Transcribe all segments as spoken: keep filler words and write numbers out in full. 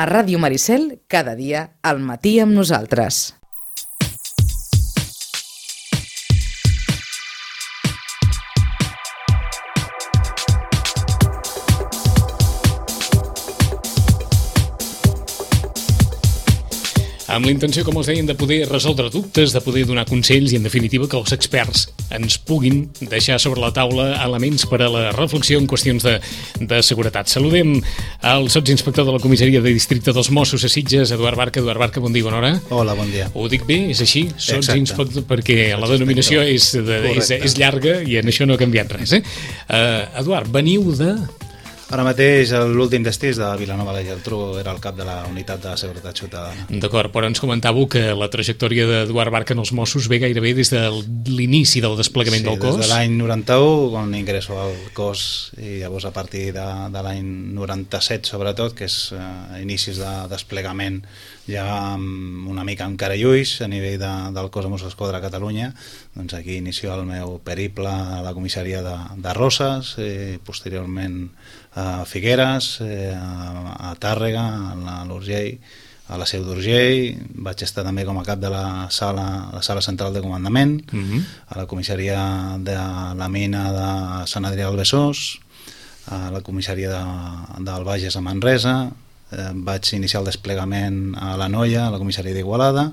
A Ràdio Maricel, cada dia, al matí amb nosaltres. Amb la intenció, com els deien, de poder resoldre dubtes, de poder donar consells i, en definitiva, que els experts ens puguin deixar sobre la taula elements per a la reflexió en qüestions de, de seguretat. Saludem al sotsinspector de la comissaria de districte dels Mossos a Sitges, Eduard Barca. Eduard Barca, bon dia, bona hora. Hola, bon dia. Ho dic bé? És així? Sotsinspector, perquè la denominació és, de, és, és llarga i en això no ha canviat res. Eh? Uh, Eduard, veniu de... Ara mateix l'últim destí és de Vilanova i la Geltrú, era el cap de la unitat de seguretat ciutadana. D'acord, però ens comentàveu que la trajectòria d'Eduard Barca en els Mossos ve gairebé des de l'inici del desplegament sí, del cos. Sí, des de l'any noranta-u, quan ingresso al cos, i llavors a partir de, de l'any noranta-set, sobretot, que és eh, inicis de desplegament ja amb una mica amb cara i ulls a nivell de, del cos de Mossos d'Esquadra a Catalunya, doncs aquí inicio el meu periple a la comissaria de, de Roses, eh, posteriorment a Figueres, eh, a, a Tàrrega, a l'Urgell, a la Seu d'Urgell. Vaig estar també com a cap de la sala, la sala central de comandament, uh-huh. a la comissaria de la mina de Sant Adrià del Besòs, a la comissaria de, del Bages a Manresa. Eh, vaig iniciar el desplegament a la Noia, a la comissaria d'Igualada.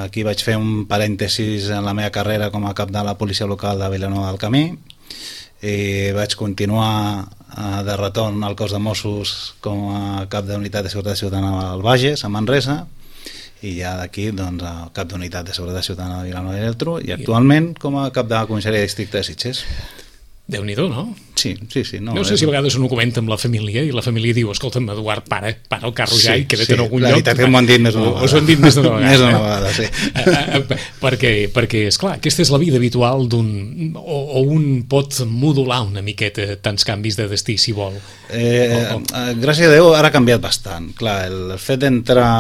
Aquí vaig fer un parèntesis en la meva carrera com a cap de la policia local de Vilanova del Camí, i vaig continuar eh, de retorn al cos de Mossos com a cap de unitat de seguretat ciutadana al Bages, a Manresa, i ja d'aquí doncs, a cap d'unitat de seguretat ciutadana de Vilanova i la Geltrú, i actualment com a cap de la comissaria de districte de Sitges. Déu-n'hi-do, no? Sí, sí, sí. No, no sé és... si a vegades uno comenta amb la família i la família diu, escolta'm, Eduard, para, para el carro sí, ja i queda't sí, en algun la lloc. La veritat que m'ho han dit més d'una vegada. Us ho han dit més d'una vegada. Més d'una vegada, sí. perquè, perquè, esclar, aquesta és la vida habitual d'un... O, o un pot modular una miqueta tants canvis de destí, si vol. Eh, o, o... Gràcies a Déu, ara ha canviat bastant. Clar, el fet d'entrar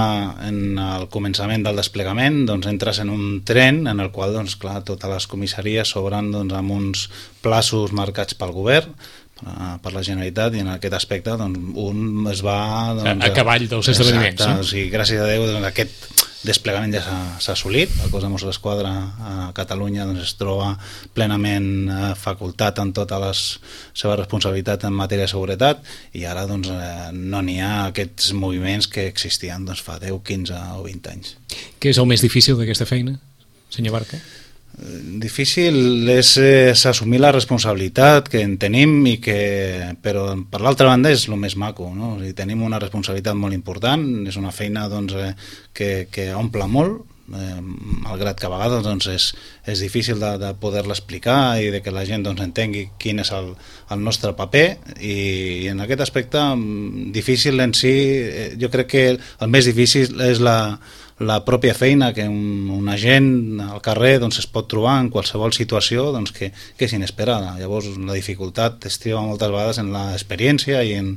en el començament del desplegament, doncs entres en un tren en el qual, doncs, clar, totes les comissaries s'obren doncs, amb uns plaços marcats pel govern, per la Generalitat, i en aquest aspecte doncs, un es va doncs, a, a cavall dels esdeveniments. Exacte, no? O sigui, gràcies a Déu doncs, aquest desplegament ja s'ha assolit. El cos de Mossos d'Esquadra a Catalunya doncs, es troba plenament eh, facultat en totes les seves responsabilitats en matèria de seguretat, i ara doncs, eh, no n'hi ha aquests moviments que existien doncs, fa deu, quinze o vint anys. Què és el més difícil d'aquesta feina, senyor Barca? Difícil és, és assumir la responsabilitat que en tenim, i que, però per l'altra banda és el més maco, no? O sigui, tenim una responsabilitat molt important, és una feina doncs, eh, que, que omple molt, eh, malgrat que a vegades doncs, és, és difícil de, de poder-la explicar i de que la gent doncs, entengui quin és el, el nostre paper, i, i en aquest aspecte difícil en si, eh, jo crec que el més difícil és la la pròpia feina que un, un agent al carrer doncs, es pot trobar en qualsevol situació doncs, que, que és inesperada. Llavors la dificultat es troba moltes vegades en l'experiència i en,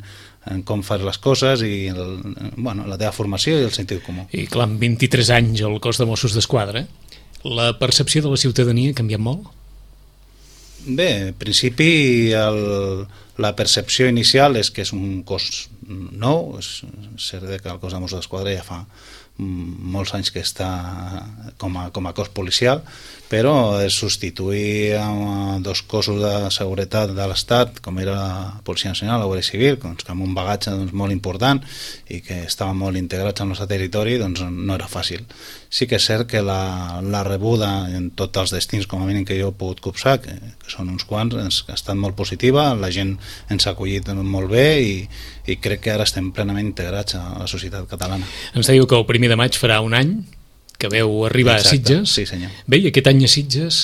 en com fas les coses i el, bueno, la teva formació i el sentit comú. I clar, amb vint-i-tres anys al cos de Mossos d'Esquadra, la percepció de la ciutadania ha canviat molt? Bé, en principi el, la percepció inicial és que és un cos nou. És cert que el cos de Mossos d'Esquadra ja fa molts anys que està com a, com a cos policial, però es substituir amb dos cossos de seguretat de l'Estat, com era la Policia Nacional, la Guàrdia Civil, doncs, amb un bagatge doncs, molt important i que estaven molt integrats al nostre territori, doncs no era fàcil. Sí que és cert que la, la rebuda en tots els destins, com a mínim que jo he pogut copsar, que, que són uns quants, ha estat molt positiva, la gent ens ha acollit molt bé, i, i crec que ara estem plenament integrats a la societat catalana. Ens dèieu que el primer de maig farà un any que veu arribar Exacte, a Sitges. Sí, senyor. Bé, i aquest any a Sitges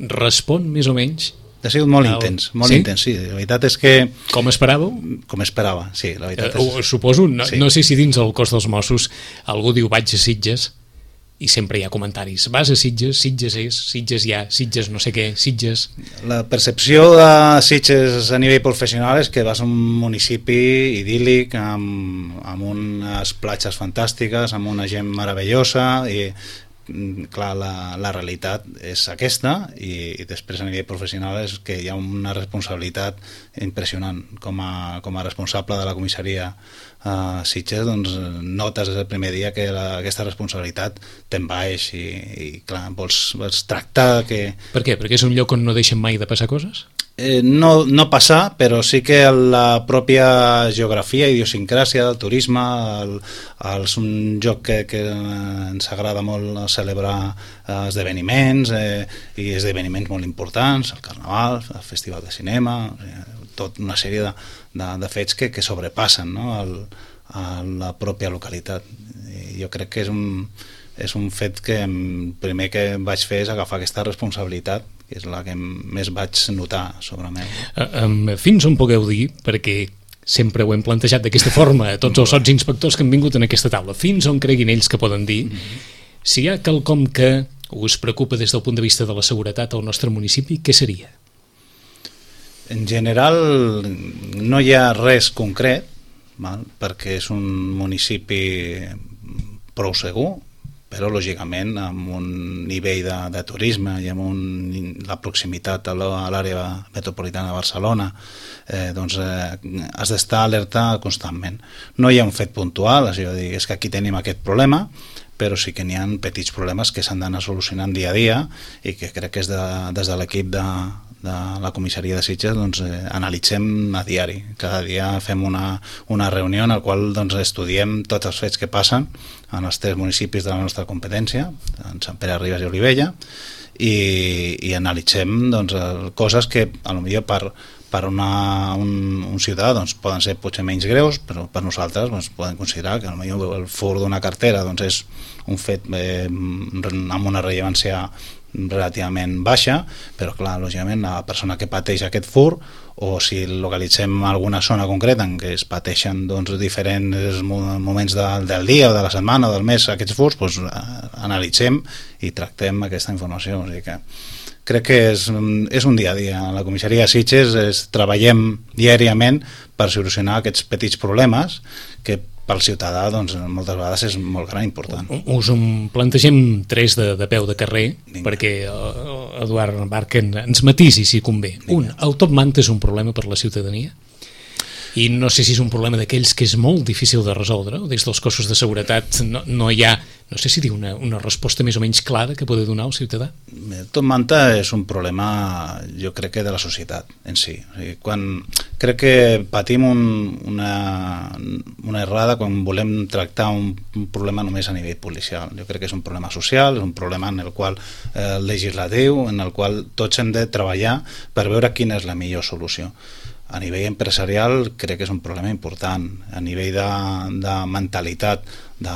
respon més o menys? Ha sigut molt el... intens, molt sí? intens, sí. La veritat és que... Com esperàveu? Com esperava, sí. La veritat eh, és... Suposo, no, sí. no sé si dins el cos dels Mossos algú diu vaig a Sitges, i sempre hi ha comentaris. Vas a Sitges, Sitges és, Sitges hi ha, Sitges no sé què, Sitges... La percepció de Sitges a nivell professional és que vas a un municipi idíl·lic, amb, amb unes platges fantàstiques, amb una gent meravellosa, i clar, la, la realitat és aquesta i, i després a nivell professional és que hi ha una responsabilitat impressionant. Com a, com a responsable de la comissaria a Sitges, doncs notes des del primer dia que la, aquesta responsabilitat t'envaeix i, i clar, vols, vols tractar que... Per què? Perquè és un lloc on no deixen mai de passar coses? Eh, no, no passar, però sí que la pròpia geografia, idiosincràsia del turisme, el, el, és un lloc que, que ens agrada molt celebrar esdeveniments eh, i esdeveniments molt importants, el Carnaval, el Festival de Cinema, eh, tot una sèrie de, de, de fets que, que sobrepassen, no?, el, a la pròpia localitat. I jo crec que és un, és un fet que el primer que vaig fer és agafar aquesta responsabilitat, que és la que més vaig notar sobre meu. Uh, fins on pugueu dir, perquè sempre ho hem plantejat d'aquesta forma a tots els sots inspectors que han vingut en aquesta taula, fins on creguin ells que poden dir, mm-hmm. si hi ha quelcom que us preocupa des del punt de vista de la seguretat al nostre municipi, què seria? En general no hi ha res concret, val? Perquè és un municipi prou segur, però lògicament amb un nivell de, de turisme i amb un, la proximitat a l'àrea metropolitana de Barcelona, eh, doncs eh, has d'estar alerta constantment. No hi ha un fet puntual, és a dir, és que aquí tenim aquest problema, però sí que n'hi ha petits problemes que s'han d'anar solucionant dia a dia i que crec que és de, des de l'equip de, de la comissaria de Sitges doncs, eh, analitzem a diari. Cada dia fem una, una reunió en la qual doncs, estudiem tots els fets que passen en els tres municipis de la nostra competència, en Sant Pere, Ribes i Olivella, i, i analitzem doncs, coses que potser per, per una, un, un ciutadà doncs, poden ser potser menys greus, però per nosaltres doncs, podem considerar que potser el fur d'una cartera doncs, és un fet eh, amb una rellevància relativament baixa, però clar, lògicament la persona que pateix aquest fur, o si localitzem alguna zona concreta en què es pateixen doncs, diferents moments de, del dia o de la setmana o del mes aquests furs, doncs, analitzem i tractem aquesta informació. O sigui que crec que és, és un dia a dia. A la comissaria de Sitges es, treballem diàriament per solucionar aquests petits problemes que pel ciutadà doncs, moltes vegades és molt gran i important. Us en plantegem tres de, de peu de carrer. Vinga. Perquè Eduard Barca ens matisi si convé. Vinga. Un, el top manta és un problema per la ciutadania? I no sé si és un problema d'aquells que és molt difícil de resoldre, des dels cossos de seguretat no, no hi ha, no sé si dir una, una resposta més o menys clara que pugui donar al ciutadà. El top manta és un problema, jo crec que de la societat en si. O sigui, quan crec que patim un, una, una errada quan volem tractar un, un problema només a nivell policial. Jo crec que és un problema social, és un problema en el qual eh, legislatiu, en el qual tots hem de treballar per veure quina és la millor solució. A nivell empresarial crec que és un problema important. A nivell de, de mentalitat de,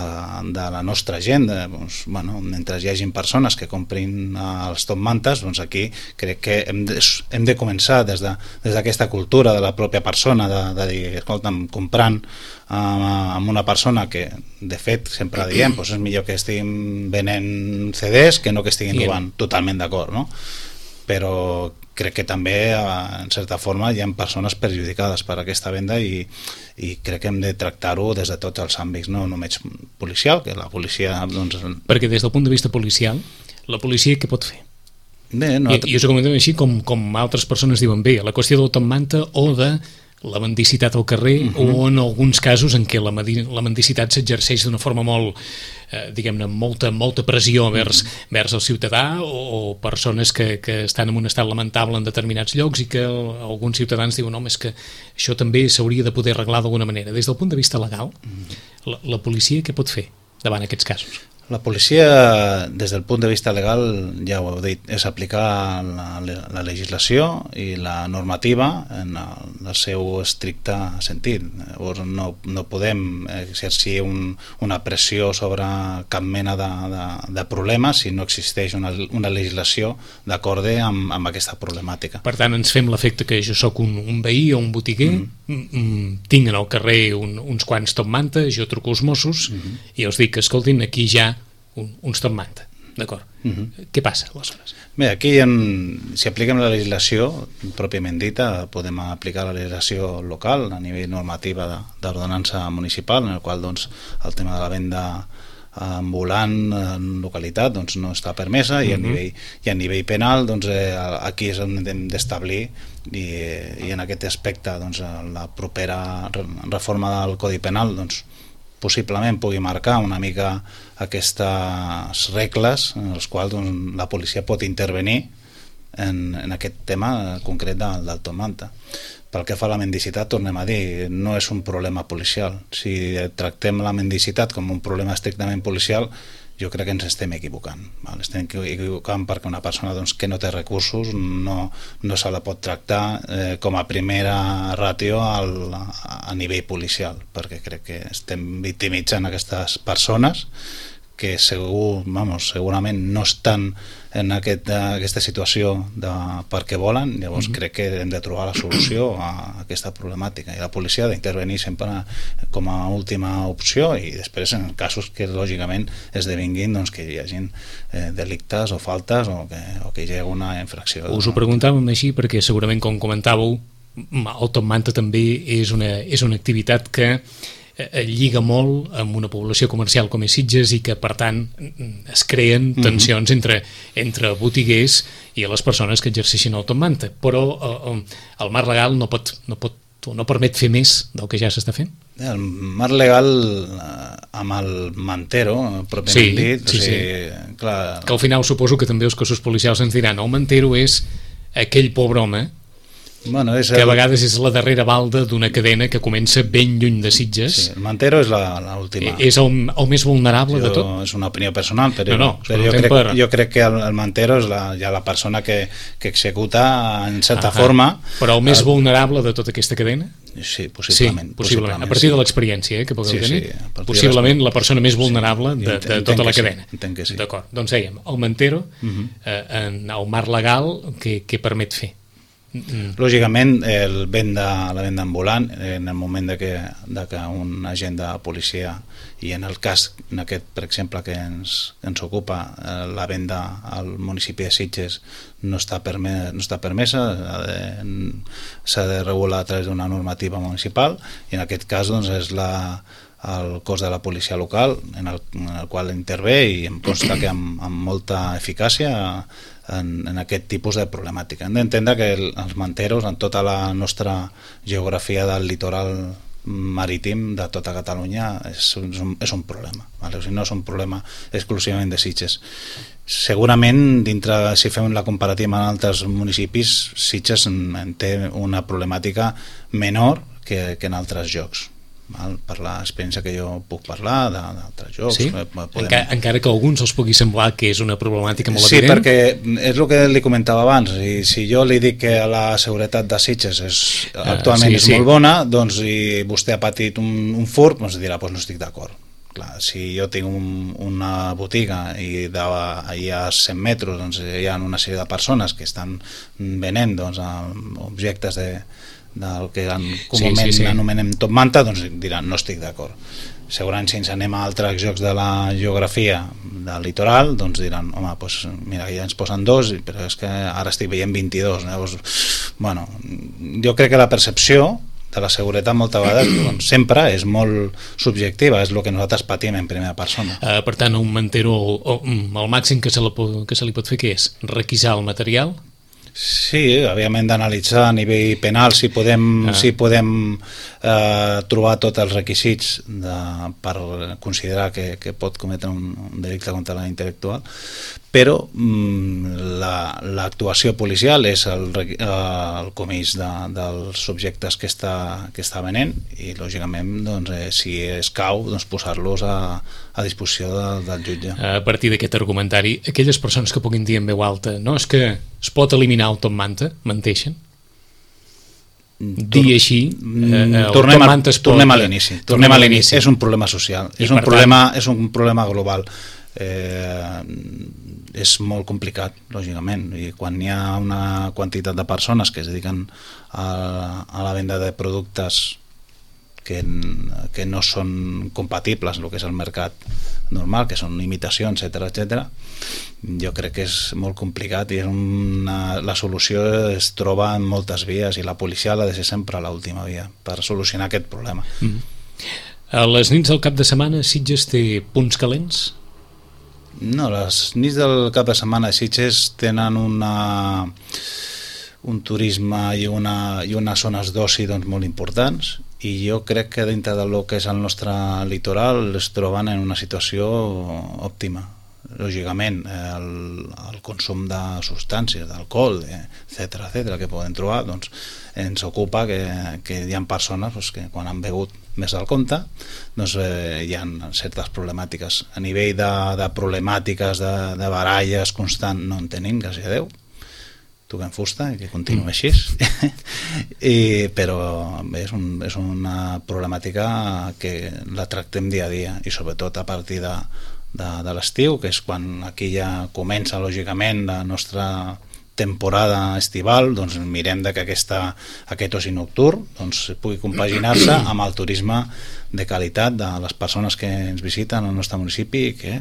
de la nostra gent, de, doncs, bueno, mentre hi hagi persones que comprin els top mantes, doncs aquí crec que hem de, hem de començar des de, des d'aquesta cultura de la pròpia persona, de, de dir, escolta'm, comprant eh, amb una persona que, de fet, sempre diem, doncs és millor que estiguin venent C Ds que no que estiguin robant. Totalment d'acord, no? Però crec que també, en certa forma, hi ha persones perjudicades per aquesta venda i, i crec que hem de tractar-ho des de tots els àmbits, no només policial, que la policia... Doncs... Perquè des del punt de vista policial, la policia què pot fer? Bé, no... I, i us ho comentem així com, com altres persones diuen, bé, la qüestió del top manta o de la mendicitat al carrer, uh-huh. o en alguns casos en què la, la mendicitat s'exerceix d'una forma molt, eh, diguem-ne, molta, molta pressió vers, uh-huh. vers el ciutadà o, o persones que, que estan en un estat lamentable en determinats llocs i que alguns ciutadans diuen, home, és que això també s'hauria de poder arreglar d'alguna manera. Des del punt de vista legal, uh-huh. la, la policia què pot fer davant aquests casos? La policia, des del punt de vista legal, ja ho heu dit, és aplicar la, la legislació i la normativa en el, el seu estricte sentit. Llavors no, no podem exercir un, una pressió sobre cap mena de, de, de problema si no existeix una, una legislació d'acorde amb, amb aquesta problemàtica. Per tant, ens fem l'efecte que jo sóc un, un veí o un botiguer, mm-hmm. tinc en el carrer un, uns quants top manta, jo truco als Mossos mm-hmm. i els dic, escoltin, aquí ja Un, uns top manta, d'acord? Uh-huh. Què passa aleshores? Bé, aquí en, si apliquem la legislació pròpiament dita, podem aplicar la legislació local a nivell normativa d'ordenança municipal, en el qual doncs, el tema de la venda ambulant en localitat doncs no està permesa, i a nivell, i a nivell penal doncs, eh, aquí és on hem d'establir, i, i en aquest aspecte doncs, la propera reforma del Codi Penal doncs, possiblement pugui marcar una mica aquestes regles en les quals doncs, la policia pot intervenir en, en aquest tema concret del, del top manta. Pel que fa a la mendicitat, tornem a dir, no és un problema policial. Si tractem la mendicitat com un problema estrictament policial, jo crec que ens estem equivocant. Val? Estem equivocant perquè una persona doncs, que no té recursos no, no se la pot tractar eh, com a primera ràtio al, a nivell policial, perquè crec que estem victimitzant aquestes persones que segur, vamos, segurament no estan en aquest, aquesta situació de, perquè volen. Llavors mm-hmm. crec que hem de trobar la solució a aquesta problemàtica, i la policia ha d'intervenir sempre com a última opció, i després en casos que lògicament esdevinguin doncs, que hi hagi eh, delictes o faltes o que, o que hi hagi una infracció. Us ho preguntàvem així perquè segurament, com comentàveu, el top manta també és una, és una activitat que lliga molt amb una població comercial com és Sitges, i que per tant es creen tensions mm-hmm. entre, entre botiguers i les persones que exerceixen el top manta, però eh, el marc legal no pot, no pot no permet fer més del que ja s'està fent? El marc legal amb el mantero, pròpiament sí, dit, sí, o sigui, sí. clar... que al final suposo que també els cossos policials ens diran el mantero és aquell pobre home Bueno, és que a el... vegades és la darrera balda d'una cadena que comença ben lluny de Sitges. Sí, el mantero és l'última. És el, el més vulnerable jo, de tot? És una opinió personal, però, no, no, però jo, crec, per... jo crec que el, el mantero és la, ja la persona que, que executa en certa Ahà. forma. Però el més el... vulnerable de tota aquesta cadena? Sí, possiblement. Sí, possiblement. A partir sí. de l'experiència eh, que pugueu sí, tenir, sí, possiblement la persona més vulnerable sí, de, de tota la cadena. Sí, entenc que sí. D'acord, doncs dèiem, el mantero, uh-huh. eh, en el marc legal, que, que permet fer? Mm. Lògicament el venda, la venda ambulant en el moment de que, de que un agent de policia, i en el cas en aquest, per exemple, que ens, ens ocupa, eh, la venda al municipi de Sitges no està, perme, no està permesa, s'ha de regular a través d'una normativa municipal, i en aquest cas doncs, és la, el cos de la policia local en el, en el qual intervé, i em consta que amb, amb molta eficàcia En, en aquest tipus de problemàtica. Hem d'entendre que el, els manteros en tota la nostra geografia del litoral marítim de tota Catalunya és, és, un, és un problema, vale? O sigui, no és un problema exclusivament de Sitges. Segurament, dintre, si fem la comparativa amb altres municipis, Sitges en té una problemàtica menor que, que en altres llocs. Val? Per l'experiència que jo puc parlar d'altres jocs. Sí? Podem... Encara, encara que a alguns els pugui semblar que és una problemàtica molt sí, evident. Sí, perquè és el que li comentava abans, i si jo li dic que la seguretat de Sitges és, actualment uh, sí, és sí. molt bona, doncs i vostè ha patit un, un furt, doncs dirà, doncs no estic d'acord. Clar, si jo tinc un, una botiga i d'allà a cent metres doncs, hi ha una sèrie de persones que estan venent doncs, objectes de del que comúment sí, sí, sí. anomenem top manta, doncs diran no estic d'acord. Segurament si ens anem a altres jocs de la geografia del litoral, doncs diran home, doncs mira, ja ens posen dos, però és que ara estic veient vint-i-dos. Llavors, bueno, jo crec que la percepció de la seguretat moltes vegades doncs, sempre és molt subjectiva, és el que nosaltres patim en primera persona. Uh, per tant, un mantero, el, el màxim que se, la, que se li pot fer què és? Requisar el material? Sí, òbviament d'analitzar a nivell penal si podem, ah. si podem eh, trobar tots els requisits de, per considerar que, que pot cometre un, un delicte contra la intel·lectual, però mm, l'actuació la, policial és el, el comís de, dels subjectes que està, que està venent, i lògicament doncs, eh, si escau doncs, posar-los a, a disposició de, del jutge. A partir d'aquest argumentari, aquelles persones que puguin dir en veu alta no, és que es pot eliminar el top manta, menteixen? Dir així eh, tornem, a, tornem a l'inici tornem a l'inici, és un problema social, és un problema, tant... és un problema global, eh, és molt complicat lògicament, i quan hi ha una quantitat de persones que es dediquen a, a la venda de productes que, que no són compatibles amb el que és el mercat normal, que són imitacions, etcètera, etcètera, jo crec que és molt complicat, i és una, la solució es troba en moltes vies, i la policia ha de ser sempre l'última via per solucionar aquest problema. Mm. A les nits del cap de setmana Sitges té punts calents? No, les nits del cap de setmana a Sitges tenen una, un turisme i, una, i unes zones d'oci doncs, molt importants, i jo crec que dintre del que és el nostre litoral es troben en una situació òptima. Lògicament, el, el consum de substàncies, d'alcohol, etcètera, etcètera, que poden trobar, doncs, ens ocupa que, que hi ha persones doncs, que quan han begut més del compte doncs, eh, hi ha certes problemàtiques. A nivell de, de problemàtiques, de, de baralles constant, no en tenim, gràcies a Déu. Toquem fusta i que continuï així. I, però bé, és, un, és una problemàtica que la tractem dia a dia, i sobretot a partir de de, de l'estiu, que és quan aquí ja comença lògicament la nostra temporada estival, doncs mirem de que aquesta, aquest oci nocturn doncs, pugui compaginar-se amb el turisme de qualitat de les persones que ens visiten al nostre municipi i que,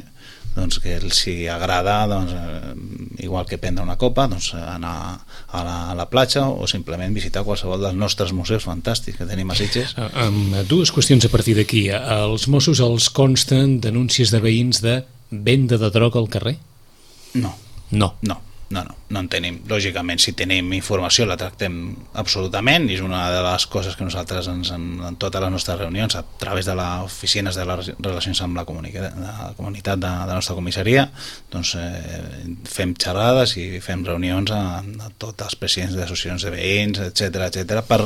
doncs, que els hi agrada, doncs, eh, igual que prendre una copa, doncs, anar a la, a la platja o simplement visitar qualsevol dels nostres museus fantàstics que tenim a Sitges. Amb dues qüestions a partir d'aquí. Els Mossos els consten denúncies de veïns de venda de droga al carrer? No. No. No. No, no, no en tenim. Lògicament, si tenim informació la tractem absolutament, i és una de les coses que nosaltres ens, en, en totes les nostres reunions, a través de les oficines de les relacions amb la comunitat de, la comunitat de, de la nostra comissaria, doncs eh, fem xerrades i fem reunions a, a tots els presidents d'associacions de veïns, etcètera, etcètera, per,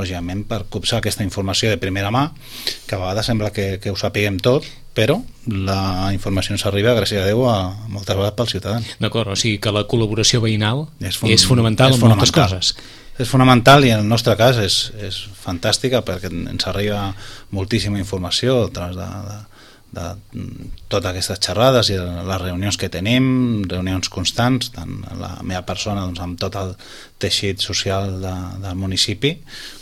lògicament, per copsar aquesta informació de primera mà, que a vegades sembla que, que ho sapiguem tot, però la informació ens arriba, gràcies a Déu, a moltes vegades pels ciutadans. D'acord, o sigui que la col·laboració veïnal és, fun és és fonamental en fonamental. moltes coses. És fonamental, i en el nostre cas és, és fantàstica, perquè ens arriba moltíssima informació a través de, de, de totes aquestes xerrades i les reunions que tenim, reunions constants, tant la meva persona doncs, amb tot el teixit social de, del municipi,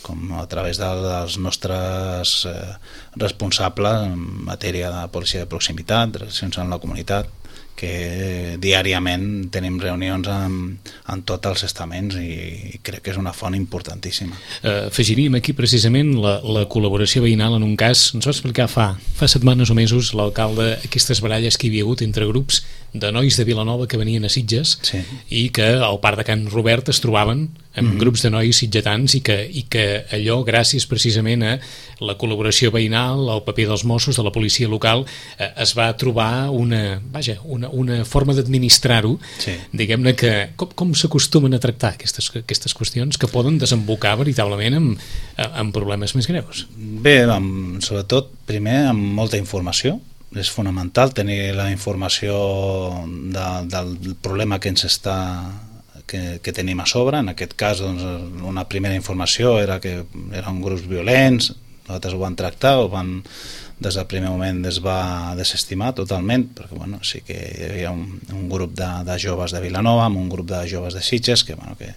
com a través de, dels nostres eh, responsables en matèria de policia de proximitat, relacions amb la comunitat, que diàriament tenim reunions amb, amb tots els estaments, i crec que és una font importantíssima. Uh, afegiríem aquí precisament la, la col·laboració veïnal en un cas, ens va explicar fa, fa setmanes o mesos l'alcalde aquestes baralles que hi havia hagut entre grups de nois de Vilanova que venien a Sitges, sí, i que al parc de Can Robert es trobaven amb mm-hmm. grups de nois sitgetans, i que, i que allò, gràcies precisament a la col·laboració veïnal, al paper dels Mossos, de la policia local, eh, es va trobar una, vaja, una, una forma d'administrar-ho, sí, diguem-ne, que com, com s'acostumen a tractar aquestes, aquestes qüestions que poden desembocar veritablement en, en problemes més greus. Bé, amb, sobretot, primer, amb molta informació. És fonamental tenir la informació de, del problema que ens està que, que tenim a sobre. En aquest cas, doncs, una primera informació era que eren grups violents, nosaltres ho van tractar, ho van, des del primer moment es va desestimar totalment, perquè bueno, sí que hi havia un, un grup de, de joves de Vilanova amb un grup de joves de Sitges que, bueno, que,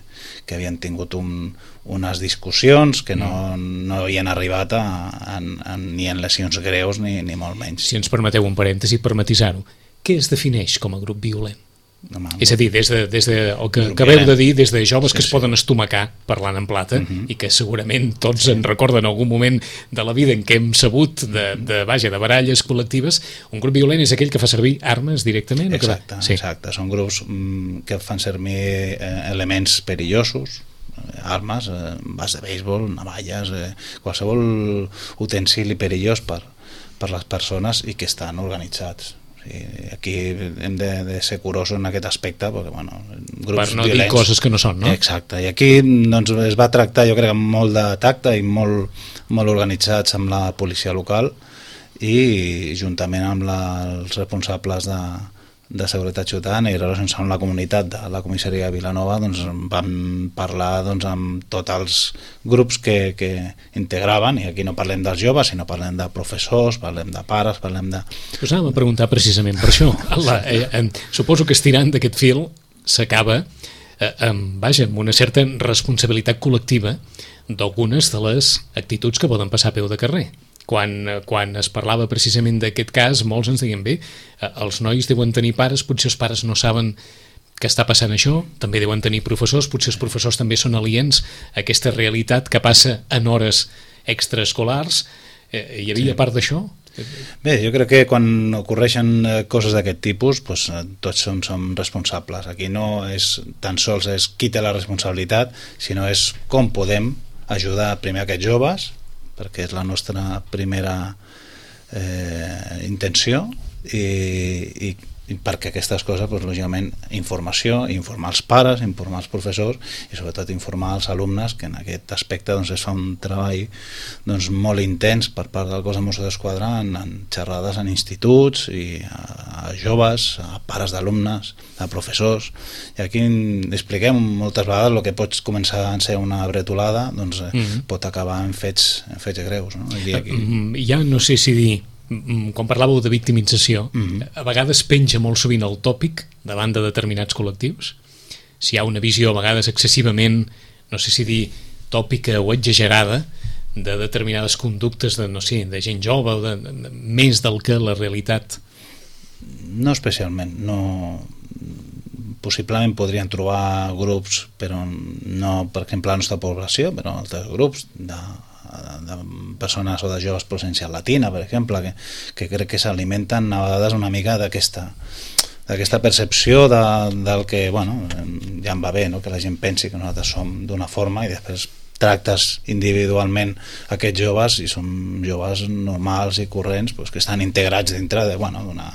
que havien tingut un, unes discussions que no, no havien arribat a, a, a, ni en lesions greus ni, ni molt menys. Si ens permeteu un parèntesi per matisar-ho, què es defineix com a grup violent? Home, és a dir, des de, des de el que acabeu de dir, des de joves sí, que es sí. poden estomacar parlant en plata, uh-huh. i que segurament tots sí. en recorden algun moment de la vida en què hem sabut de, de, vaja, de baralles col·lectives. Un grup violent és aquell que fa servir armes directament? Exacte, sí. exacte. Són grups mm, que fan servir eh, elements perillosos, armes, eh, bats de béisbol, navalles, eh, qualsevol utensili perillós per, per les persones i que estan organitzats. Aquí hem de, de ser curosos en aquest aspecte, perquè, bueno, grups per no violents, dir coses que no són, no? Exacte, i aquí doncs, es va tractar, jo crec, amb molt de tacte i molt, molt organitzats amb la policia local, i juntament amb la, els responsables de, de seguretat ciutadana i relacions amb la comunitat de la comissaria de Vilanova, doncs vam parlar doncs, amb tots els grups que, que integraven, i aquí no parlem dels joves, sinó parlem de professors, parlem de pares, parlem de... Us anàvem a preguntar precisament per això. La, eh, eh, suposo que estirant d'aquest fil s'acaba eh, amb, vaja, amb una certa responsabilitat col·lectiva d'algunes de les actituds que poden passar a peu de carrer. Quan, quan es parlava precisament d'aquest cas, molts ens deien, bé, els nois deuen tenir pares, potser els pares no saben que està passant això, també deuen tenir professors, potser els professors també són aliens a aquesta realitat que passa en hores extraescolars, Eh, hi havia sí. part d'això? Bé, jo crec que quan ocorreixen coses d'aquest tipus, doncs, tots som, som responsables. Aquí no és tan sols és qui té la responsabilitat, sinó és com podem ajudar primer aquests joves, perquè és la nostra primera eh, intenció, i, i, i perquè aquestes coses, doncs, lògicament, informació, informar els pares, informar els professors i sobretot informar els alumnes, que en aquest aspecte doncs, es fa un treball doncs, molt intens per part del cos de Mossos d'Esquadra en, en xerrades en instituts i a, a joves, a pares d'alumnes, a professors, i aquí expliquem moltes vegades el que pot començar a ser una bretolada, doncs eh, mm-hmm. pot acabar en fets, en fets greus, no? I aquí... Ja no sé si dir, quan parlàveu de victimització, mm-hmm. a vegades penja molt sovint el tòpic davant de determinats col·lectius. Si hi ha una visió a vegades excessivament, no sé si dir tòpica o exagerada, de determinades conductes de, no sé, de gent jove o de, de, de, més del que la realitat. No especialment, no... Possiblement podrien trobar grups, però no, per exemple, la nostra població, però altres grups de de persones o de joves procedència latina, per exemple, que, que crec que s'alimenten a vegades una mica d'aquesta d'aquesta percepció de, del que, bueno, ja em va bé, no? Que la gent pensi que nosaltres som d'una forma i després tractes individualment aquests joves i són joves normals i corrents, pues, que estan integrats dintre de, bueno, d'una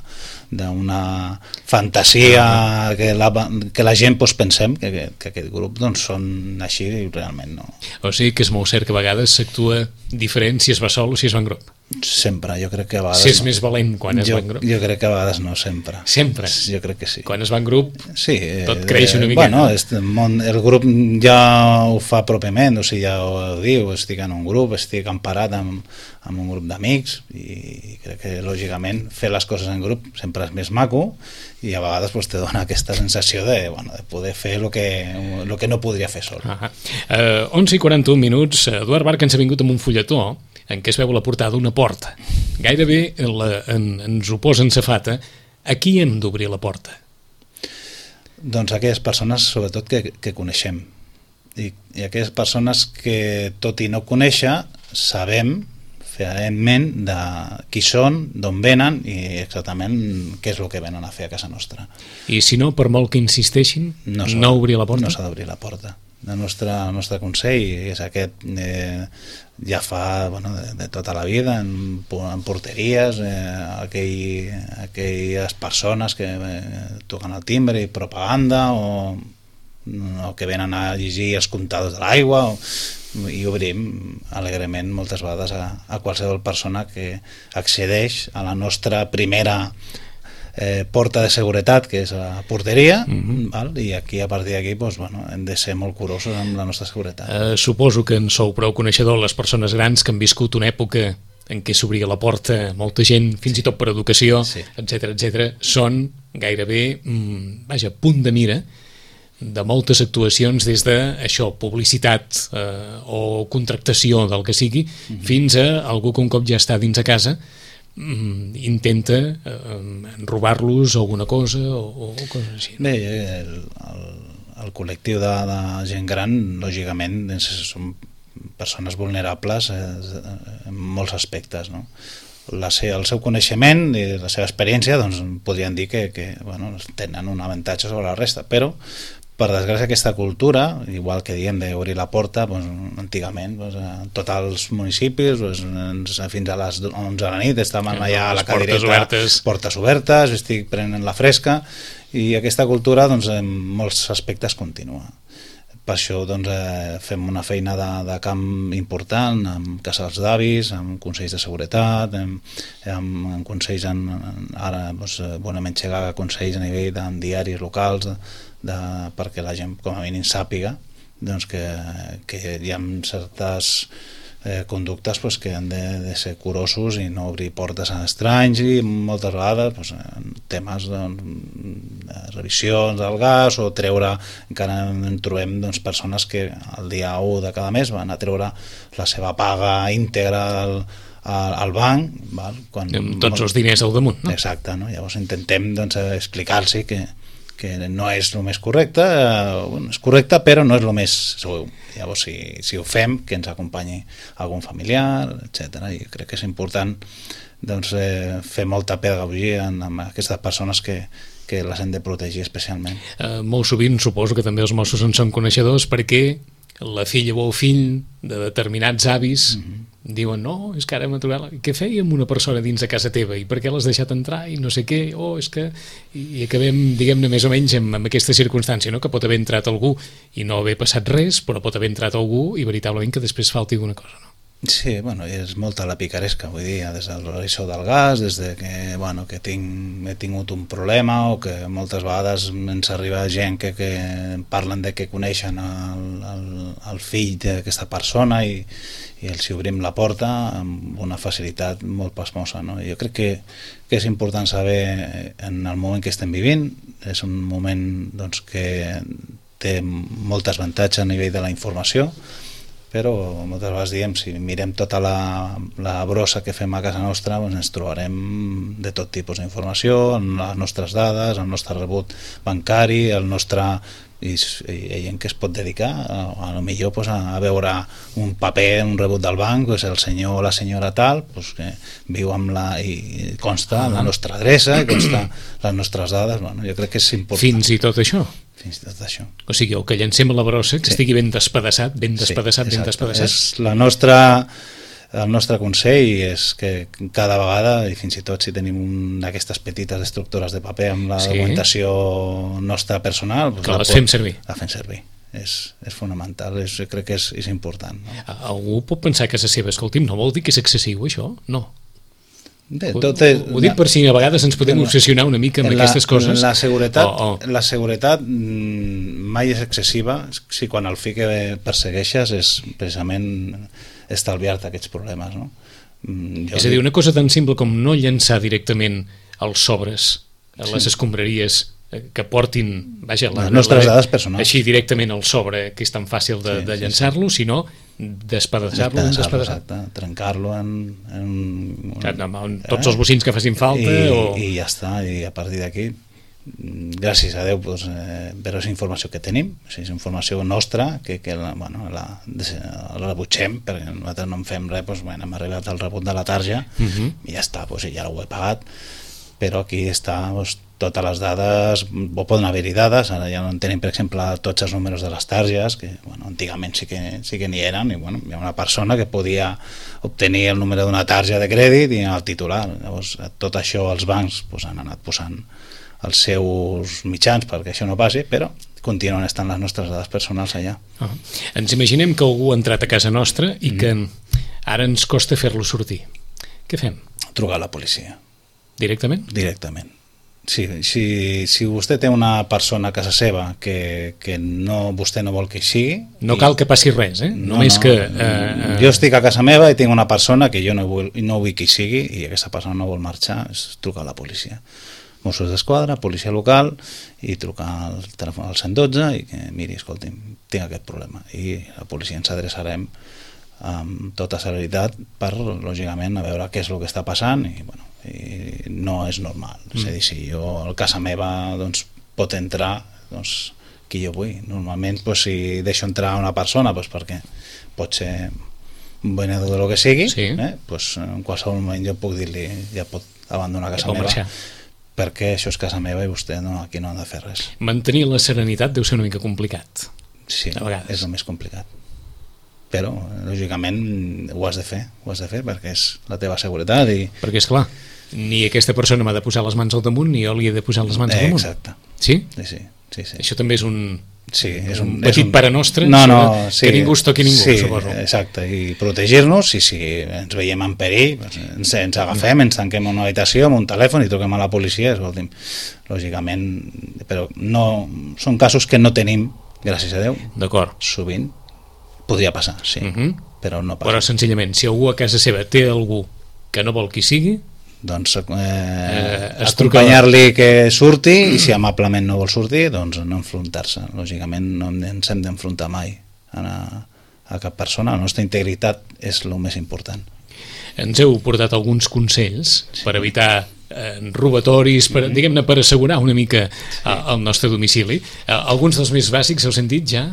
d'una fantasia que la, que la gent pues, pensem que, que, que aquest grup doncs, són així i realment no. O sigui que és molt cert que a vegades s'actua diferent si es va sol o si es va en grup. Sempre, jo crec que a vegades... Si és no. més valent quan es jo, va en grup. Jo crec que a vegades no, sempre. Sempre? Jo crec que sí. Quan es va en grup, sí, tot eh, creix una mica. Bueno, el, món, el grup ja ho fa pròpiament, o sigui, ja ho diu, estic en un grup, estic emparat amb, amb un grup d'amics i crec que, lògicament, fer les coses en grup sempre és més maco i a vegades pues, te dona aquesta sensació de, bueno, de poder fer el que, lo que no podria fer sol. Uh, onze i quaranta-un minuts, Eduard Barca ens ha vingut amb un fulletó en què es veu la portada d'una porta. Gairebé la, en, ens ho posa en safata. A qui hem d'obrir la porta? Doncs a aquelles persones, sobretot, que, que coneixem. I, I aquelles persones que, tot i no conèixer, sabem feament de qui són, d'on venen i exactament què és el que venen a fer a casa nostra. I si no, per molt que insisteixin, no, no obrir la porta? No s'ha d'obrir la porta. El nostre, el nostre consell és aquest, eh, ja fa bueno, de, de tota la vida en, en porteries, eh, aquell, aquelles persones que eh, toquen el timbre i propaganda o, o que venen a llegir els comptadors de l'aigua o, i obrim alegrement moltes vegades a, a qualsevol persona que accedeix a la nostra primera Eh, porta de seguretat, que és la porteria, uh-huh. val? I aquí a partir d'aquí doncs, bueno, hem de ser molt curosos amb la nostra seguretat. Uh, suposo que en sou prou coneixedor les persones grans que han viscut una època en què s'obria la porta molta gent, fins i tot per educació, sí. etcètera, etcètera, són gairebé, mm, vaja, punt de mira de moltes actuacions des de això, publicitat eh, o contractació del que sigui, uh-huh. fins a algú que un cop ja està dins a casa intenta eh, robar-los alguna cosa o, o coses així. Bé, el, el, el col·lectiu de, de gent gran, lògicament, són persones vulnerables eh, en molts aspectes, no? La, el seu coneixement i la seva experiència doncs, podrien dir que, que bueno, tenen un avantatge sobre la resta, però per desgràcia aquesta cultura, igual que diem d'obrir la porta, doncs, antigament doncs, en tots els municipis doncs, fins a les onze de la nit estàvem allà a la cadireta, portes obertes, portes obertes, estic prenent la fresca i aquesta cultura doncs, en molts aspectes continua. Per això doncs, eh, fem una feina de, de camp important amb casals d'avis, amb consells de seguretat, amb, amb, amb consells en, ara doncs, bonament xegar consells a nivell de diaris locals de, de, perquè la gent com a mínim sàpiga doncs, que, que hi ha certes eh, conductes pues, que han de, de ser curosos i no obrir portes a estranys i moltes vegades pues, temes doncs, de revisions del gas o treure, encara en trobem doncs, persones que el dia u de cada mes van a treure la seva paga íntegra al, al, al banc, val? Quan, amb tots els diners al damunt, no? Exacte, no? Llavors intentem doncs, explicar-los que que no és el més correcte, eh, bueno, és correcte però no és el més segur. Llavors si, si ho fem, que ens acompanyi algun familiar, etcètera. I crec que és important doncs, eh, fer molta pedagogia en, en aquestes persones que, que les hem de protegir especialment. Eh, molt sovint suposo que també els Mossos en són coneixedors perquè la filla o el fill de determinats avis mm-hmm. diuen, no, és que ara m'ha trobat... Què fèiem una persona dins de casa teva? I per què l'has deixat entrar? I no sé què, oh, és que... I acabem, diguem-ne, més o menys amb, amb aquesta circumstància, no? Que pot haver entrat algú i no haver passat res, però pot haver entrat algú i veritablement que després falti alguna cosa, no? Sí, bueno, és molta la picaresca, vull dir, des del revisor del gas, des de que, bueno, que tinc, he tingut un problema o que moltes vegades ens arriba gent que, que parlen de que coneixen el, el, el fill d'aquesta persona i, i els obrim la porta amb una facilitat molt pasmosa, no? Jo crec que, que és important saber en el moment que estem vivint, és un moment doncs, que té molts avantatges a nivell de la informació, però moltes vegades diem, si mirem tota la, la brossa que fem a casa nostra, doncs ens trobarem de tot tipus d'informació, les nostres dades, el nostre rebut bancari, el nostre... i hi ha gent que es pot dedicar a, a lo millor pues, a, a veure un paper, un rebut del banc, pues, el senyor o la senyora tal pues, que viu amb la i consta la nostra adreça i consta les nostres dades, bueno, jo crec que és important. Fins i tot això? Fins i tot això. O sigui, el que llancem a la brossa, que sí. estigui ben despedaçat, ben despedaçat, sí, ben despedaçat. És la nostra... El nostre consell és que cada vegada, i fins i tot si tenim d'aquestes petites estructures de paper amb la sí. documentació nostra personal, doncs que la les pot, fem servir. La fem servir. És, és fonamental, és, crec que és, és important. No? Algú pot pensar que és la seva, escolti'm, no vol dir que és excessiu això? No. Bé, tot és, ho, ho dic per si a vegades ens podem obsessionar una mica amb la, aquestes coses. La seguretat, oh, oh. La seguretat mai és excessiva si quan el fi que persegueixes és precisament estalviar-te aquests problemes, no? Jo és a dir, una cosa tan simple com no llançar directament els sobres a les sí. escombraries que portin, vaja, la, les nostres la, dades personals. Així directament el sobre, que és tan fàcil de, sí, de llançar-lo, sí, sí. sinó despedaçar-lo, despedaçar trencar-lo en, en, en, en tots eh? els bocins que facin falta i, o... i ja està, i a partir d'aquí gràcies a Déu doncs, eh, però és informació que tenim, o sigui, és informació nostra que, que la, bueno, la, la rebutgem perquè nosaltres no en fem res, doncs, bueno, hem arribat al rebut de la tarja uh -huh. i ja està, doncs, ja ho he pagat, però aquí està doncs, totes les dades, o poden haver-hi dades, ara ja no en tenim per exemple tots els números de les targes, que bueno, antigament sí que, sí que n'hi eren, i bueno, hi ha una persona que podia obtenir el número d'una tarja de crèdit i el titular, llavors tot això els bancs doncs, han anat posant els seus mitjans perquè això no passi, però continuen estant les nostres dades personals allà. Uh -huh. Ens imaginem que algú ha entrat a casa nostra i que mm. ara ens costa fer-lo sortir. Què fem? Trucar a la policia. Directament? Directament. Sí, si, si vostè té una persona a casa seva que, que no, vostè no vol que hi sigui... No cal que passi res, eh? No, Només no, que... Eh, jo estic a casa meva i tinc una persona que jo no vull, no vull que hi sigui i aquesta persona no vol marxar, és trucar a la policia. Mossos d'Esquadra, policia local, i trucar al telèfon al cent dotze i que, miri, escolti'm, tinc aquest problema. I la policia ens adreçarem amb tota celeritat per, lògicament, a veure què és el que està passant i, bueno, i no és normal. Mm. És a dir, si jo a casa meva doncs, pot entrar doncs, qui jo vull. Normalment, doncs, si deixo entrar una persona doncs, perquè pot ser un venedor de lo que sigui, sí. eh, doncs, en qualsevol moment jo puc dir-li ja pot abandonar casa meva. Marxar. Perquè això és casa meva i vostè no, aquí no ha de fer res. Mantenir la serenitat deu ser una mica complicat. Sí, és el més complicat. Però, lògicament, ho has de fer, ho has de fer perquè és la teva seguretat. I... Perquè, és clar, ni aquesta persona m'ha de posar les mans al damunt ni jo li he de posar les mans al damunt. Exacte. Sí? Sí, sí. sí, sí. Això també és un... Sí, és un, un petit és un... pare nostre, no, no, sí, que ningú es toqui ningú, sí, suposo. Exacte, i protegir-nos, i si ens veiem en perill, ens, ens agafem, ens tanquem en una habitació amb un telèfon i truquem a la policia, escolti'm, lògicament, però no, són casos que no tenim, gràcies a Déu, d'acord. Sovint podria passar, sí, uh -huh. però no passa. Però senzillament, si algú a casa seva té algú que no vol que hi sigui, doncs eh, eh, acompanyar-li que surti i si amablement no vol sortir doncs no enfrontar-se, lògicament no ens hem d'enfrontar mai a, a cap persona, la nostra integritat és el més important. Ens heu portat alguns consells sí. per evitar eh, robatoris, per, mm-hmm. diguem-ne, per assegurar una mica sí. el nostre domicili. Eh, alguns dels més bàsics heu sentit ja?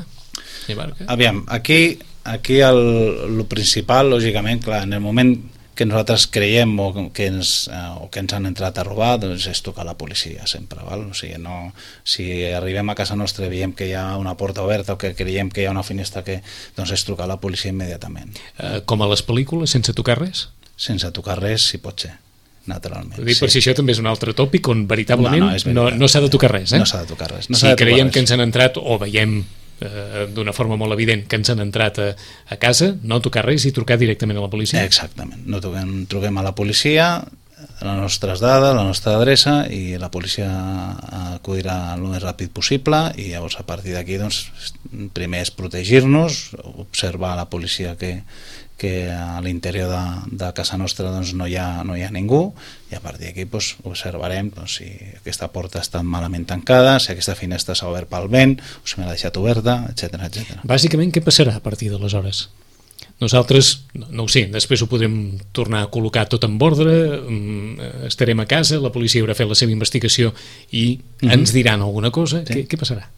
Aviam, aquí, aquí el, el principal, lògicament, clar, en el moment que nosaltres creiem o que ens, eh, o que ens han entrat a robar, doncs és trucar a la policia sempre, val? O sigui, no, si arribem a casa nostra i veiem que hi ha una porta oberta o que creiem que hi ha una finestra, que, doncs és trucar a la policia immediatament. Eh, com a les pel·lícules, sense tocar res? Sense tocar res, si pot ser, naturalment. Ho dic sí. per si això també és un altre tòpic on veritablement no, no, no, no s'ha de tocar res, eh? No s'ha de tocar res. No si creiem que ens han entrat o veiem Eh, d'una forma molt evident que ens han entrat a, a casa, no tocar res i trucar directament a la policia. Exactament, no truquem, truquem a la policia, les nostres dades, la nostra adreça, i la policia acudirà el més ràpid possible, i llavors a partir d'aquí doncs, primer és protegir-nos, observar a la policia que que a l'interior de, de casa nostra doncs, no, hi ha, no hi ha ningú, i a partir d'aquí doncs, observarem doncs, si aquesta porta està malament tancada, si aquesta finestra s'ha obert pel vent, o si me l'ha deixat oberta, etcètera, etcètera. Bàsicament, què passarà a partir d'aleshores? Nosaltres, no, no ho sé, després ho podrem tornar a col·locar tot en ordre, estarem a casa, la policia haurà fet la seva investigació i mm-hmm. ens diran alguna cosa. Sí. Què, què passarà?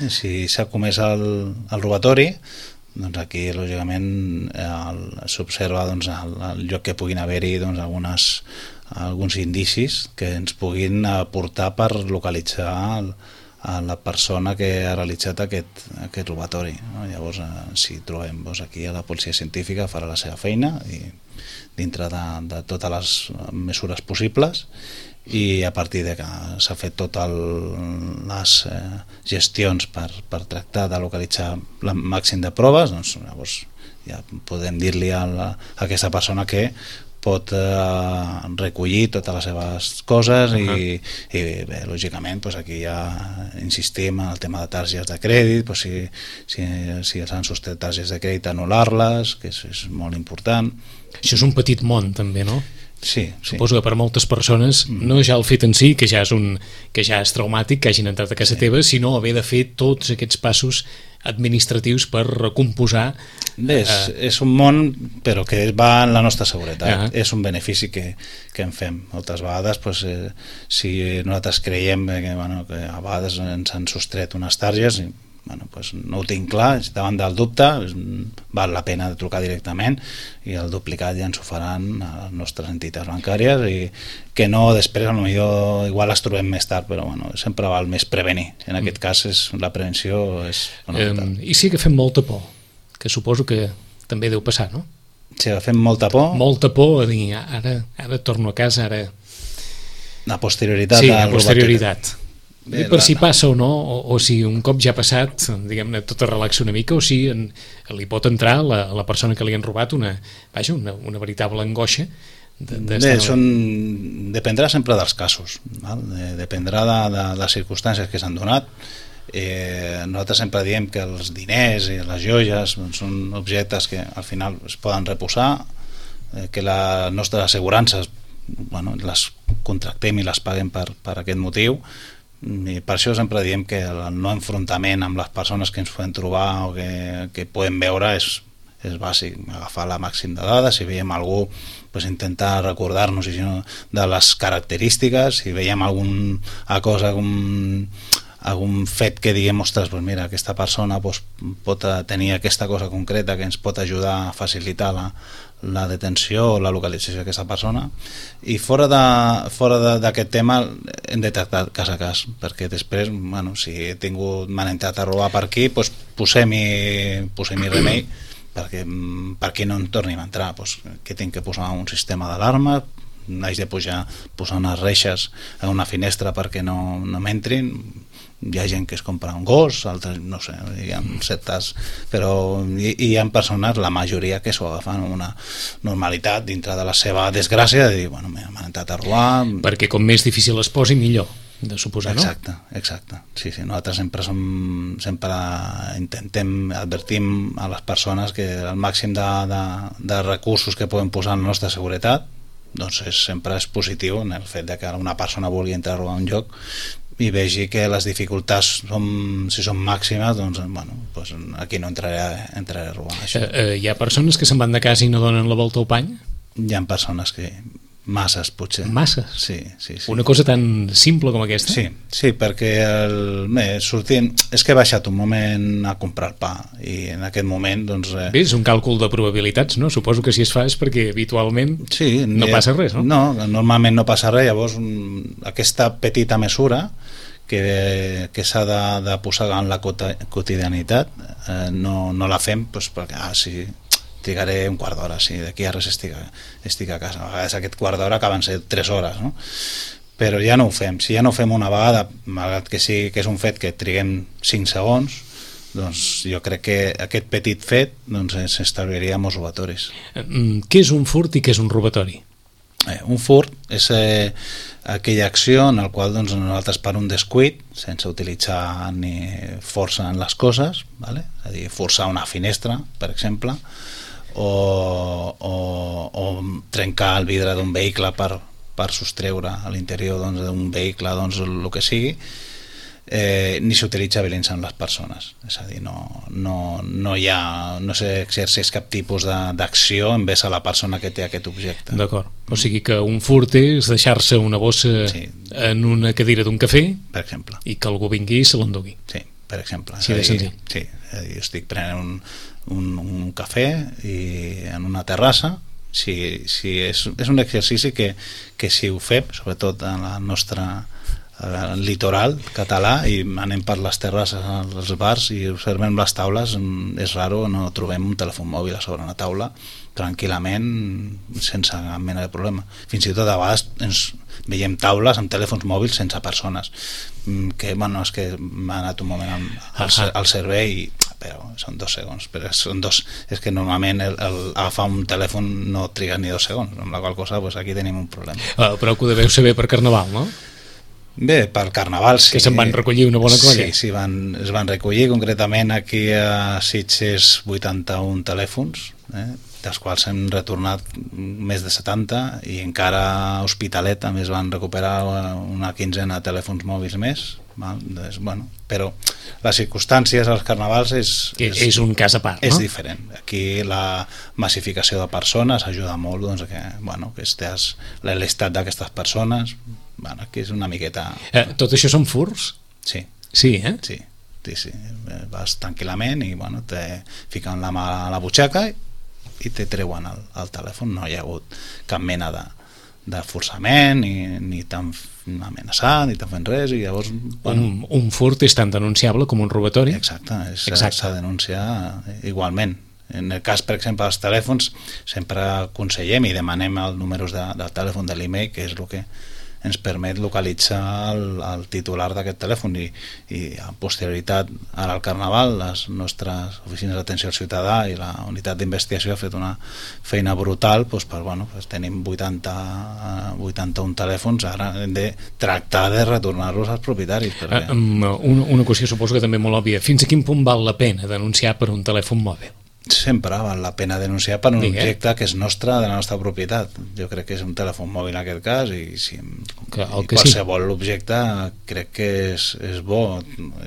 Si s'ha comès el, el robatori, doncs aquí lògicament s'observa doncs, el, el lloc que puguin haver-hi doncs, algunes, alguns indicis que ens puguin aportar per localitzar el, a la persona que ha realitzat aquest, aquest robatori, no? Llavors si trobem doncs, aquí a la policia científica farà la seva feina i dintre de, de totes les mesures possibles, i a partir de que s'ha fet totes les eh, gestions per, per tractar de localitzar el màxim de proves, doncs llavors ja podem dir-li a, la, a aquesta persona que pot eh, recollir totes les seves coses. Uh-huh. i, i bé, lògicament doncs aquí ja insistim en el tema de targetes de crèdit, doncs si, si, si s'han sostret targetes de crèdit, anul·lar-les, que és, és molt important. Això és un petit món també, no? Sí, sí. Suposo que per moltes persones no ja el fet en si, que ja és, un, que ja és traumàtic que hagin entrat a casa sí. teva, sinó haver de fer tots aquests passos administratius per recomposar. Bé, és, eh... és un món però que va en la nostra seguretat. Uh-huh. És un benefici que, que en fem moltes vegades. Doncs, eh, si nosaltres creiem que, bueno, que a vegades ens han sostret unes targes, bueno, pues no ho tinc clar, davant del dubte val la pena de trucar directament, i el duplicat ja ens ho faran a les nostres entitats bancàries, i que no després potser igual les trobem més tard, però bueno, sempre val més prevenir. En aquest cas és, la prevenció és fonamental. Eh, I sí que fem molta por, que suposo que també deu passar, no? Sí, fem molta por. Molta por a dir, ara, ara torno a casa, ara... La posterioritat. Sí, la posterioritat. Bé, per la, si passa o no, o, o si un cop ja ha passat, diguem-ne, tot es relaxa una mica, o si en, li pot entrar a la, la persona que li han robat una, vaja, una, una veritable angoixa. De, de Bé, són, dependrà sempre dels casos, val? Dependrà de, de les circumstàncies que s'han donat. Eh, nosaltres sempre diem que els diners i les joies doncs, són objectes que al final es poden reposar, eh, que les nostres assegurances, bueno, les contractem i les paguem per, per aquest motiu, i per això sempre diem que el no enfrontament amb les persones que ens podem trobar o que, que podem veure és, és bàsic, agafar la màxim de dades. Si veiem algú, pues intentar recordar-nos si no, de les característiques. Si veiem alguna cosa, algun, algun fet que diguem, ostres, pues mira, aquesta persona pues, pot tenir aquesta cosa concreta que ens pot ajudar a facilitar la, la detenció o la localització d'aquesta persona. I fora de, fora d'aquest tema hem de tractar cas a cas, perquè després, bueno, si he tingut, m'han entrat a robar per aquí, doncs posem-hi posem-hi remei perquè, perquè no en tornin a entrar. Doncs, que tinc que posar un sistema d'alarma, haig de pujar, posar unes reixes a una finestra perquè no, no m'entrin. Hi ha gent que es compra un gos, altres, no sé, hi ha certes, però hi, hi ha persones, la majoria, que s'ho agafen amb una normalitat dintre de la seva desgràcia, de dir, bueno, m'han entrat a robar. Perquè com més difícil es posi, millor, de suposar, no? Exacte, exacte. Sí, sí, nosaltres sempre som, sempre intentem, advertim a les persones que el màxim de, de, de recursos que poden posar en la nostra seguretat, doncs és, sempre és positiu en el fet de que una persona vulgui entrar a robar un lloc i vegi que les dificultats són, si són màximes, doncs, bueno, doncs aquí no entraré, entraré a robar això. Eh, eh, hi ha persones que se'n van de casa i no donen la volta al pany? Hi ha persones que, Masses, potser. Masses? Sí, sí, sí. Una cosa tan simple com aquesta? Sí, sí, perquè el, bé, sortint, és que he baixat un moment a comprar el pa i en aquest moment, doncs... Eh... Bé, és un càlcul de probabilitats, no? Suposo que si es fa és perquè habitualment sí, no ha, passa res, no? No, normalment no passa res, llavors aquesta petita mesura que, que s'ha de, de posar en la quotidianitat eh, no, no la fem doncs, perquè, ah, sí, trigaré un quart d'hora, sí, d'aquí a res estic, estic a casa. A vegades aquest quart d'hora acaben ser tres hores, no? Però ja no ho fem. Si ja no ho fem una vegada, malgrat que sí que és un fet que triguem cinc segons, doncs jo crec que aquest petit fet doncs, s'estalviaria molts robatoris. Què és un furt i què és un robatori? Eh, un furt és eh, aquella acció en la qual doncs, nosaltres per un descuit, sense utilitzar ni força en les coses, vale? És a dir, forçar una finestra, per exemple, o, o, o trencar el vidre d'un vehicle per, per sostreure a l'interior doncs, d'un vehicle doncs, el que sigui, eh, ni s'utilitza violència en les persones. És a dir, no, no, no hi ha, no s'exerceix cap tipus d'acció envers a la persona que té aquest objecte. D'acord. O sigui que un furt és deixar-se una bossa sí. en una cadira d'un cafè, per exemple, i que algú vingui i se l'endugui. Sí, per exemple. Sí, de senzill. Sí, és a dir, estic prenent un, un, un cafè i en una terrassa. Si, si és, és un exercici que, que si ho fem, sobretot en la nostra el litoral català, i anem per les terrasses, als bars i observem les taules, és raro, no trobem un telèfon mòbil a sobre una taula tranquil·lament, sense cap mena de problema. Fins i tot a vegades ens veiem taules amb telèfons mòbils sense persones, que bueno, és que m'ha anat un moment al, al, al servei i però són dos segons, però són dos, és que normalment el, el, agafar un telèfon no triga ni dos segons, amb la qual cosa pues, aquí tenim un problema. Uh, però que ho deveu saber per Carnaval, no? Bé, pel Carnaval sí. Que se'n van recollir una bona colla. Sí, sí, van, es van recollir concretament aquí a Sitges vuitanta-un telèfons, eh, dels quals hem retornat més de setanta, i encara a Hospitalet també es van recuperar una quinzena de telèfons mòbils més, val? Doncs, bueno, però les circumstàncies als carnavals és, és, és un cas a part, és no? diferent. Aquí la massificació de persones ajuda molt doncs, que, bueno, que estàs l'estat d'aquestes persones. Bueno, aquí és una miqueta... Eh, tot això són furts? Sí. Sí, eh? Sí, sí, sí. Vas tranquil·lament i bueno, te fiquen la mà a la butxaca i, i te treuen el, el telèfon. No hi ha hagut cap mena de, de forçament, ni, ni t'han amenaçat, ni t'han fet res, i llavors... Bueno, un, un furt és tan denunciable com un robatori? Exacte, s'ha de denunciar igualment. En el cas, per exemple, dels telèfons, sempre aconsellem i demanem els números de, del telèfon, de l'e-mail, que és el que ens permet localitzar el, el titular d'aquest telèfon, i, i a posterioritat, ara al Carnaval, les nostres oficines d'atenció al ciutadà i la unitat d'investigació ha fet una feina brutal, doncs, per, bueno, doncs tenim vuitanta, vuitanta-un telèfons, ara hem de tractar de retornar-los als propietaris. Perquè... Uh, um, una, una qüestió suposo que també molt òbvia. Fins a quin punt val la pena denunciar per un telèfon mòbil? Sempre val la pena denunciar per un Digue. objecte que és nostre, de la nostra propietat. Jo crec que és un telèfon mòbil en aquest cas, i, si, que, i que qualsevol sí. objecte crec que és, és bo,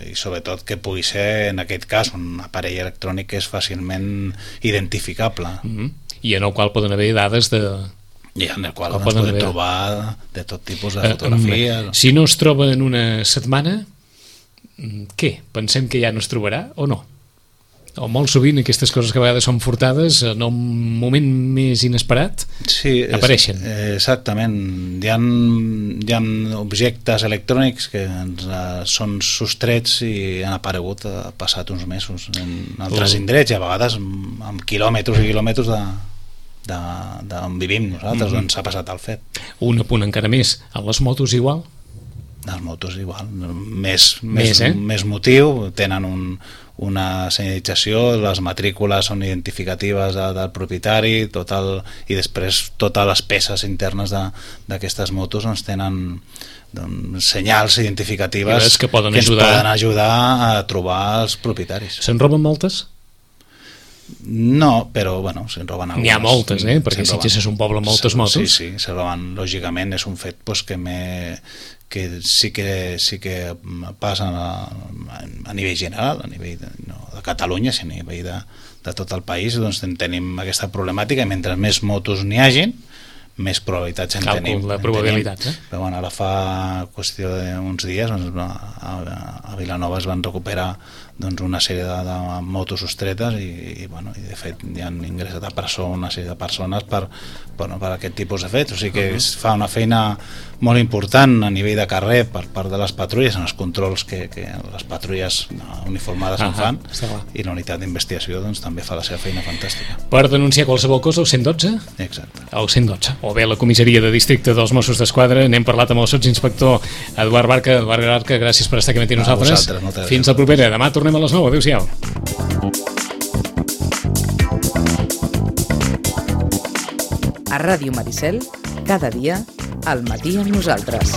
i sobretot que pugui ser, en aquest cas, un aparell electrònic que és fàcilment identificable. Mm-hmm. I en el qual poden haver dades de... I en el qual el podem haver... trobar de tot tipus de fotografies. Uh, um, si no es troba en una setmana, què? Pensem que ja no es trobarà o no? O molt sovint aquestes coses que a vegades són furtades en un moment més inesperat sí, apareixen. És, exactament. Hi ha, hi ha objectes electrònics que ens, uh, són sostrets i han aparegut uh, passat uns mesos en altres oh. indrets, i a vegades amb, amb quilòmetres i quilòmetres de d'on vivim nosaltres, mm-hmm. on s'ha passat el fet. Un apunt encara més, a les motos igual? Les motos igual, més, més, més, eh? més motiu, tenen un, una senyalització, les matrícules són identificatives de, del propietari, tot el, i després totes les peces internes d'aquestes motos doncs, tenen doncs, senyals identificatives que, poden que ens ajudar. poden ajudar a trobar els propietaris. Se'n roben moltes? No, però bueno, se'n roben algunes. N'hi ha moltes, eh? Perquè Sitges és un poble amb moltes motos. Sí, sí, se'n roben, lògicament, és un fet pues, que m'he que sí que, sí que passa a, a nivell general, a nivell de, no de Catalunya, sinó a nivell de, de tot el país, doncs tenim aquesta problemàtica, i mentre més motos n'hi hagin, més probabilitats en Càlcul tenim. de probabilitats, tenim. Eh? Però bueno, ara fa qüestió d'uns dies a, a Vilanova es van recuperar doncs, una sèrie de, de motos sostretes i, i, bueno, i de fet hi han ingressat a presó una sèrie de persones per, bueno, per aquest tipus de fets, o sigui que uh -huh. es fa una feina molt important a nivell de carrer per part de les patrulles, en els controls que, que les patrulles uniformades uh -huh. en fan, i la unitat d'investigació doncs, també fa la seva feina fantàstica. Per denunciar qualsevol cosa, el cent i dotze? Exacte. El cent i dotze, o bé la comissaria de districte dels Mossos d'Esquadra. N'hem parlat amb el sotsinspector Eduard Barca. Eduard Barca, gràcies per estar aquí amb nosaltres. Fins la propera. Demà tornem a les nou. Adéu-siau. A Ràdio Maricel, cada dia, al matí amb nosaltres.